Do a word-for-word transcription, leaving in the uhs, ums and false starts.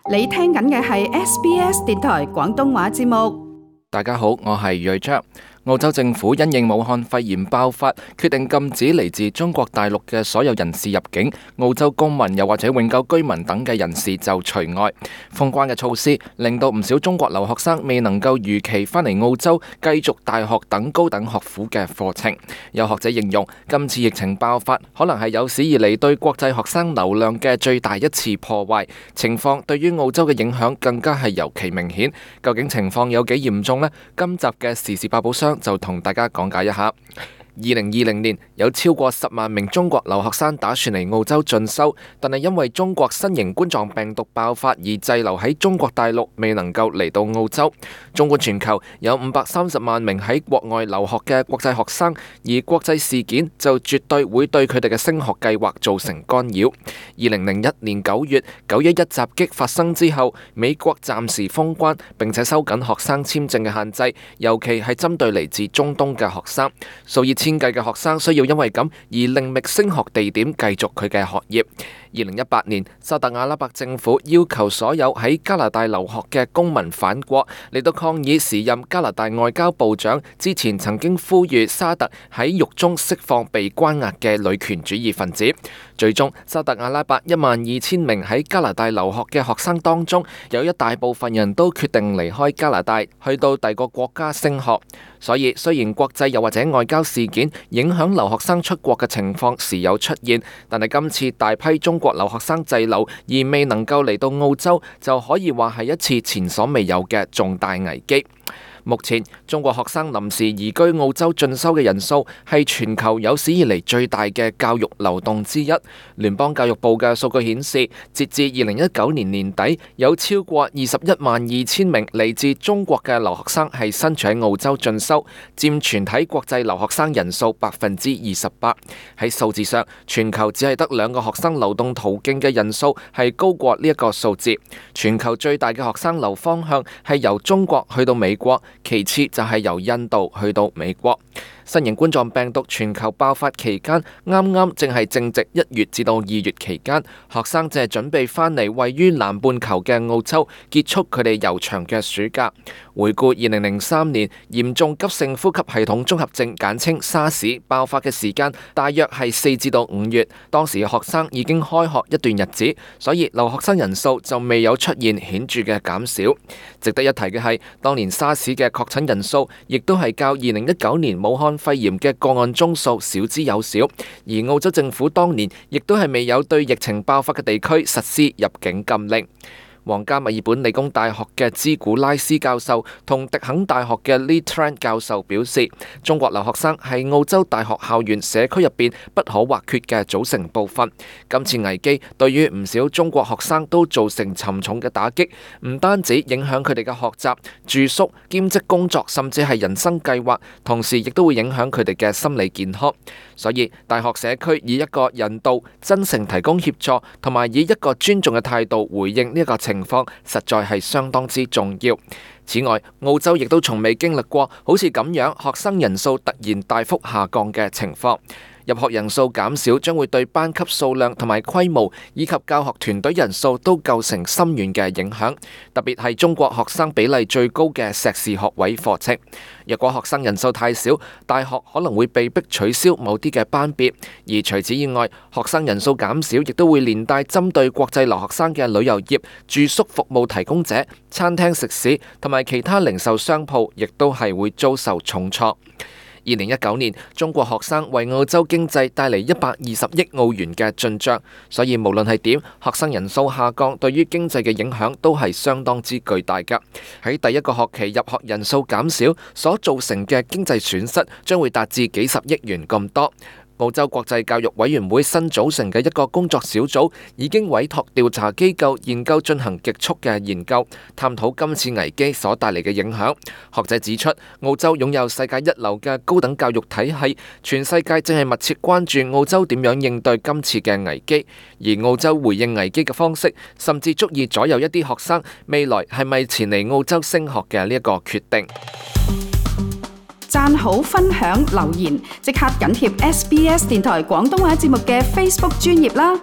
你聽緊嘅係 S B S 電台廣東話節目。大家好，我係睿章。澳洲政府因應武漢肺炎爆發，決定禁止嚟自中國大陸嘅所有人士入境，澳洲公民又或者永久居民等嘅人士就除外。封關嘅措施令到唔少中國留學生未能夠如期返嚟澳洲繼續大學等高等學府嘅課程。有學者形容，今次疫情爆發可能係有史以嚟對國際學生流量嘅最大一次破壞，情況對於澳洲嘅影響更加係尤其明顯。究竟情況有幾嚴重呢？今集嘅時事百寶箱就同大家講解一下。二零二零年有超過十萬名中國留學生打算嚟澳洲進修，但係因為中國新型冠狀病毒爆發而滯留喺中國大陸，未能夠嚟到澳洲。縱觀全球有五百三十萬名喺國外留學嘅國際學生，而國際事件就絕對會對佢哋嘅升學計劃造成干擾。二零零一年九月九一一襲擊發生之後，美國暫時封關並且收緊學生簽證嘅限制，尤其係針對嚟自中東嘅學生。數以千計嘅學生需要因為咁而另覓升學地點繼續佢嘅學業。二零一八年，沙特阿拉伯政府要求所有喺加拿大留學嘅公民返國，嚟到抗議時任加拿大外交部長之前曾經呼籲沙特喺獄中釋放被關押嘅女權主義分子。最終，沙特阿拉伯一萬二千名喺加拿大留學嘅學生當中，有一大部分人都決定離開加拿大，去到第個國家升學。所以，雖然國際又或者外交事件影響留學生出國嘅情況時有出現，但係今次大批中國留學生滯留而未能夠嚟到澳洲，就可以話係一次前所未有嘅重大危機。目前中國學生臨時移居澳洲進修嘅人數係全球有史以嚟最大嘅教育流動之一。聯邦教育部嘅數據顯示，截至二零一九年年底，有超過二十一萬二千名嚟自中國嘅留學生係身處喺澳洲進修，佔全體國際留學生人數百分之二十八。喺數字上，全球只係得兩個學生流動途徑嘅人數係高過呢一個數字。全球最大嘅學生流方向係由中國去到美國，其次就係由印度去到美國。新型冠狀病毒全球爆發期間，啱啱正係正值一月至到二月期間，學生正係準備返嚟位於南半球嘅澳洲，結束佢哋悠長嘅暑假。回顧二零零三年嚴重急性呼吸系統綜合症簡稱沙士爆發嘅時間，大約係四至到五月，當時學生已經開學一段日子，所以留學生人數就未有出現顯著嘅減少。值得一提嘅係，當年沙士嘅確診人數亦都係較二零一九年武漢肺炎嘅個案宗數少之又少，而澳洲政府當年亦都係未有對疫情爆發嘅地區實施入境禁令。皇家墨爾本理工大學嘅茲古拉斯教授同迪肯大學嘅 Lee Tran 教授表示，中國留學生係澳洲大學校園社區入邊不可或缺嘅組成部分。今次危機對於唔少中國學生都造成沉重嘅打擊，唔單止影響佢哋嘅學習、住宿、兼職工作，甚至係人生計劃，同時亦都會影響佢哋嘅心理健康。所以大學社區以一個人道、真誠提供協助，同埋以一個尊重嘅態度回應呢一個情況，實在係相當之重要。此外，澳洲亦都從未經歷過好似咁樣學生人數突然大幅下降嘅情況。入學人數減少將會對班級數量同埋規模以及教學團隊人數都構成深遠嘅影響，特別係中國學生比例最高嘅碩士學位課程。若果學生人數太少，大學可能會被迫取消某啲嘅班別，而除此以外，學生人數減少亦都會連帶針對國際留學生嘅旅遊業、住宿服務提供者、餐廳食肆同埋其他零售商鋪，亦都係會遭受重挫。二零一九年，中國學生為澳洲經濟帶嚟一百二十億澳元嘅進帳，所以無論係點，學生人數下降對於經濟嘅影響都係相當之巨大㗎。喺第一個學期入學人數減少所造成嘅經濟損失，將會達至幾十億元咁多。澳洲國際教育委員會新組成嘅一個工作小組已經委託調查機構研究進行極速嘅研究，探討今次危機所帶嚟嘅影響。學者指出，澳洲擁有世界一流嘅高等教育體系，全世界正係密切關注澳洲點樣應對今次嘅危機，而澳洲回應危機嘅方式，甚至足以左右一啲學生未來係咪前嚟澳洲升學嘅呢一個決定。讚好、分享、留言，即刻緊貼 S B S 電台廣東話節目嘅 Facebook 專頁啦！